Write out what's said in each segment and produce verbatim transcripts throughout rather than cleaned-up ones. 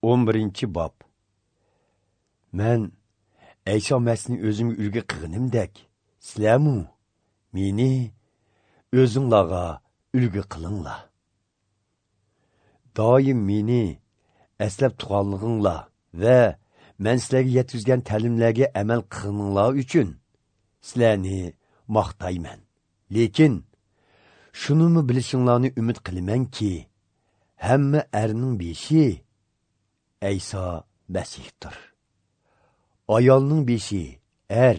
o'n birinchi bob. Men Ayso Masihni o'zimga ulgi qilganimdek, sizlarmu meni o'zinglarga ulgi qilinglar. Doim meni eslab turganliginglar va men sizlarga yetkazgan ta'limlarga amal qilganinglar uchun sizlarni maqtayman. Lekin shunimi bilishinglarni umid qilamanki, hamma erning beshi Ayso Masihdir. Ayolning beshi er,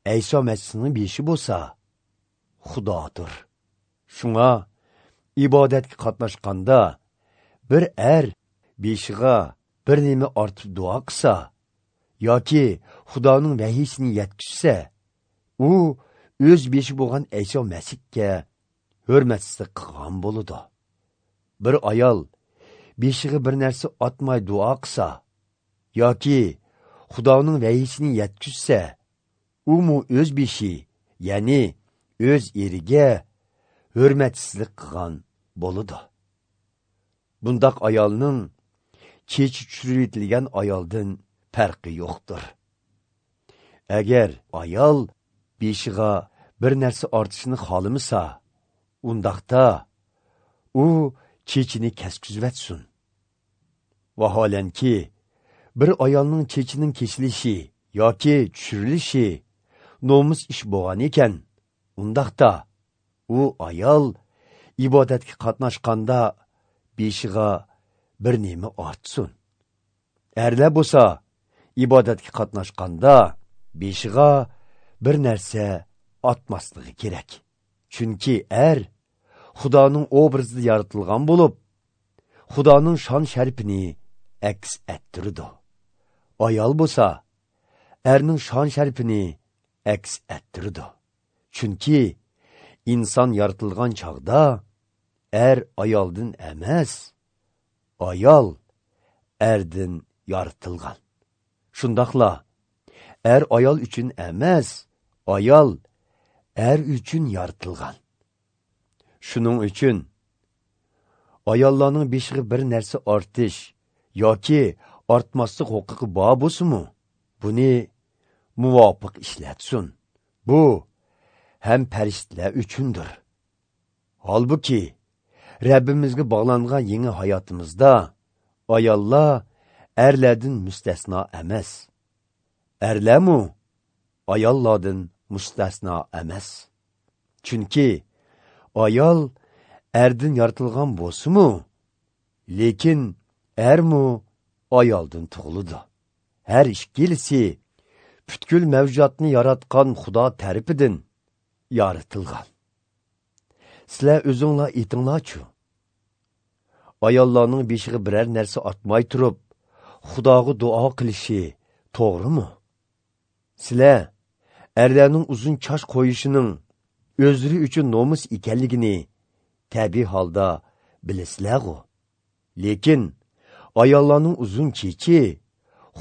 Ayso Masihning beshi bo'lsa Xudodir. Shunga ibodatga qatnashganda bir er beshiga bir nima ortib duo qilsa yoki Xudoning vahiysini yetkazsa, u o'z beshi bo'lgan Ayso Masihga hurmatsizlik qilgan bo'ladi. Bir ayol beshiga bir narsa otmay duo qilsa yoki Xudoning vahiysini yetkazsa, umu o'z beshi, ya'ni o'z eriga hurmatsizlik qilgan bo'ladi. Bundaq ayolning chechi tushiritilgan ayoldan farqi yo'qdir. Agar ayol beshiga bir narsa ortishni xohlamasa, undaqda u chechini keskizvatsin. Vaholanki, bir ayolning chechining kesilishi yoki tushirilishi nomus ish bo'lgan ekan, undaqda u ayol ibodatga qatnashganda beshiga bir nima ortsin. Erlar bo'lsa ibodatga qatnashganda beshiga bir narsa ortmasligi kerak. Chunki er Xudoning obrazida yaratilgan bo'lib, Xudoning shon sharpini aks ettirdi. Ayol bo'lsa erning shon sharpini aks ettirdi. Chunki inson yaratilgan chog'da er ayoldan emas, ayol erdan yaratilgan. Shundoqla er ayol uchun emas, ayol er uchun yaratilgan. Shuning uchun ayollarning beshiga bir narsa ortish yoki ortmaslik huquqi bor bo'lsa-mu, buni muvofiq ishlatsin. Bu ham farishtalar uchundir. Holbuki Rabbimizga bog'langan yangi hayotimizda ayollar erlardan mustasno emas. Erlarmu ayollardan mustasno emas. Chunki ayol erdan yaratilgan bo'lsa-mu, lekin ermu ayoldan tug'iladi. Har ikkilisi butkul mavjudotni yaratgan Xudo tarafidan yaratilgan. Sizlar o'zinglar aytinglarchu, ayollarning beshiga biror narsa ortmay turib Xudoga duo qilishi to'g'rimi? Sizlar erlarning uzun chosh qo'yishining o'zlari uchun nomus ekanligini tabiiy holda bilasizlar-ku. Lekin ayollarning uzun chechi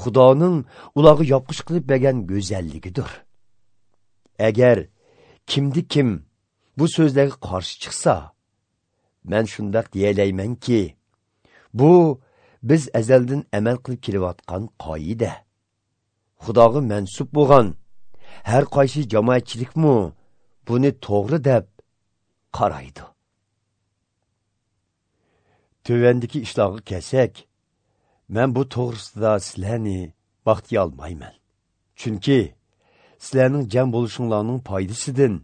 Xudoning ularga yopqish qilib bergan go'zalligidir. Agar kimdi kim bu so'zlarga qarshi chiqsa, men shundoq deyalaymanki, bu biz azaldan amal qilib kelayotgan qoida. Xudoga mansub bo'lgan har qaysi jamoatchilikmi buni to'g'ri deb qaraydi. Tövəndiki ishlarga kelsak, men bu to'g'risida sizlarni maqtay olmayman. Chunki sizlarning jam bo'lishinglarning foydasidan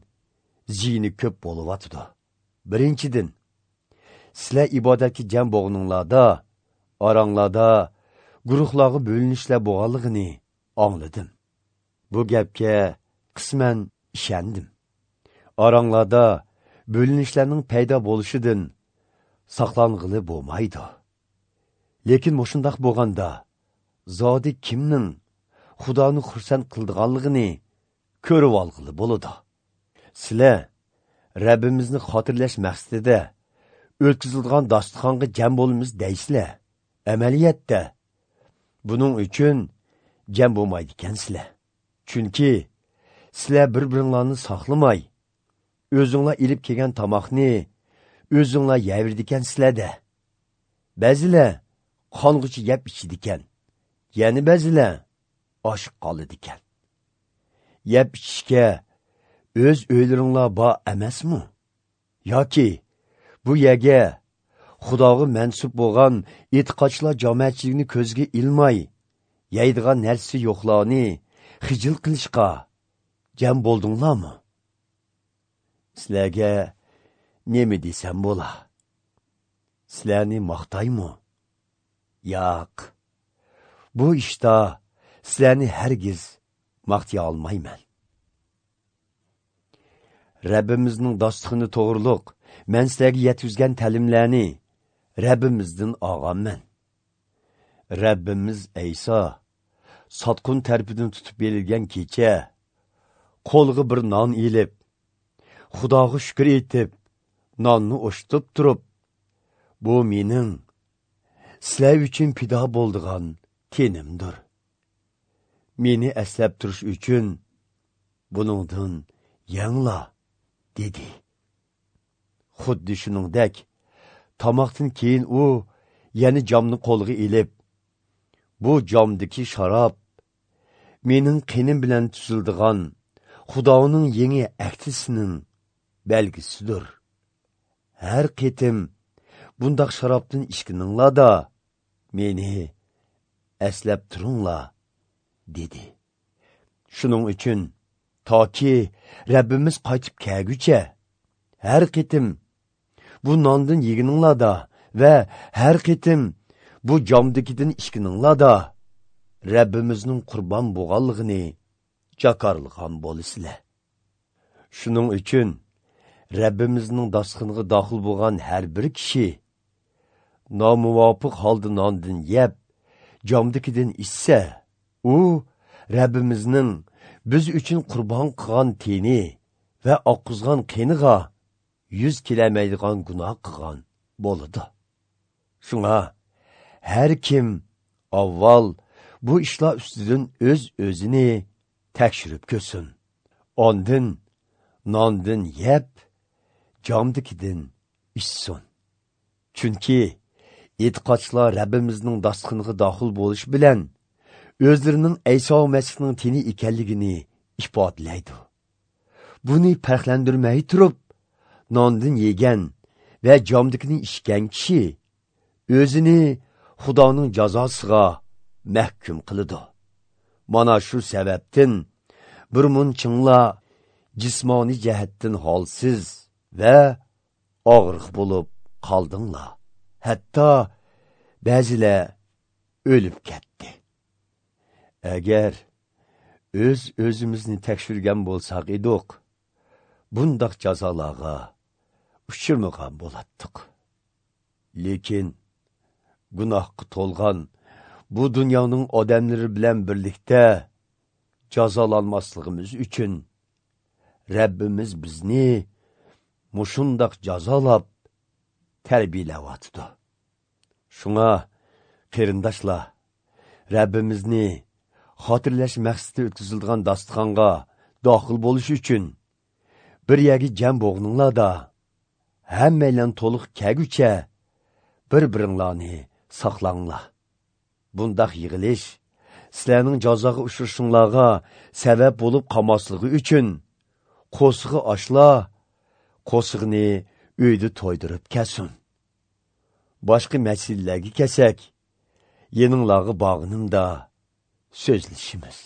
ziyni ko'p bo'lyotidi. Birinchidan, sizlar ibodatga jam bo'lganinglarda oranglarda guruhlarga bo'linishlar bo'lganligini angladim. Bu gapga qisman ishondim. Oranglarda bo'linishlarning paydo bo'lishidan saqlang'ili bo'lmaydi. Lekin mushundoq bo'lganda zodi kimning Xudoni xursand qildiganligini ko'rib olg'ili bo'ladi. Sizlar Rabbimizni xotirlash maqsadida o'tkazilgan dasturxonga jam bo'lamiz deysizlar. Amaliyotda buning uchun jam bo'lmaydi ekansizlar. Chunki sizlar bir-biringlarni saqlamay, o'zinglar ilib kelgan tomoqni o'zinglar yevirdi ekansizlarda. Ba'zilar qong'icha yeb ichadigan, yana ba'zilar och qoladigan. Yeb ichishga o'z uylaringlar bor emasmi? Yoki bu yerga Xudoga mansub bo'lgan e'tiqodchilar jamoatchiligini ko'zga ilmay, yeydigan narsa yo'qlarni xijil qilishga jam bo'ldinglarmi? Sizlarga nima desam bo'la? Sizlarni maqtaymi? Yo'q. Bu ishda sizlarni hargiz maqtay olmayman. Rabbimizning dasturxoni to'g'riliq men sizlarga yetkazgan ta'limlarni Rabbimizdan olganman. Rabbimiz Ayso sotqin tarafidan tutib berilgan kecha qo'liga bir non ilib, Xudoga shukr etib, nonni o'shtib turib, bu mening sizlar uchun fido bo'ldigan tenimdir. Meni eslab turish uchun buningdan yangla, dedi. Xuddi shuningdek, tomoqdan keyin u yana jomni qo'liga ilib, bu jomdagi sharob mening qinim bilan tuzildigan Xudoning yangi ahdisining belgisidir. Har qitim bundaq sharobdan ichkininglarda meni eslab turinglar, dedi. Shuning uchun toki Rabbimiz qaytib kelguncha har qitim bu nondan yegininglarda va har qitim bu jomdagidan ichkininglarda Rabbimizning qurbon bo'lganligini jakarlagan bo'lasizlar. Shuning uchun Rabbimizning dasturxoniga daxil bo'lgan har bir kishi nomuvofiq holda nondan yeb, jomdagidan ichsa, u Rabbimizning biz uchun qurbon qilgan teni va oqqizgan qeniga yuz kelamaydigan gunoh qilgan bo'ladi. Shunga har kim avval bu ishlar ustidan o'z o'zini tekshirib ko'rsin. Ondin nondan yeb, jomdagidan ichsin. Chunki e'tiqodchilar Rabbimizning dasturxoniga daxil bo'lish bilan o'zlarining Ayso Masihning teni ekanligini ifodalaydi. Buni farqlantirmay turib, nondan yegan va jomdikini ichgan kishi o'zini Xudoning jazosiga mahkum qiladi. Mana shu sababdan bir munchinglar jismoniy jihatdan holsiz va og'riq bo'lib qoldinglar. Hatto ba'zilar o'lib ketdi. Agar o'z o'zimizni tekshirgan bo'lsak edik, bundaq jazolarga uchirmagan bo'latdik. Lekin gunohga to'lgan bu dunyoning odamlari bilan birlikda jazolanmasligimiz uchun Rabbimiz bizni mushundaq jazolab tarbiyalayotdi. Shunga qarindoshlar, Rabbimizni xotirlash maqsadida o'tkazilgan dasturxonga daxil bo'lish uchun bir yerga jam bo'g'ninglarda hammaylan to'liq kelguncha bir-biringlarni saqlanglar. Bundaq yig'ilish sizlarning jazoga uchrashinglarga sabab bo'lib qolmasligi uchun qo'sig'i ochlar, qo'sig'ini uyda to'ydirib kelsin. Boshqa masalalarga kelsak, yeninglarga bog'inimda so'zlashimiz.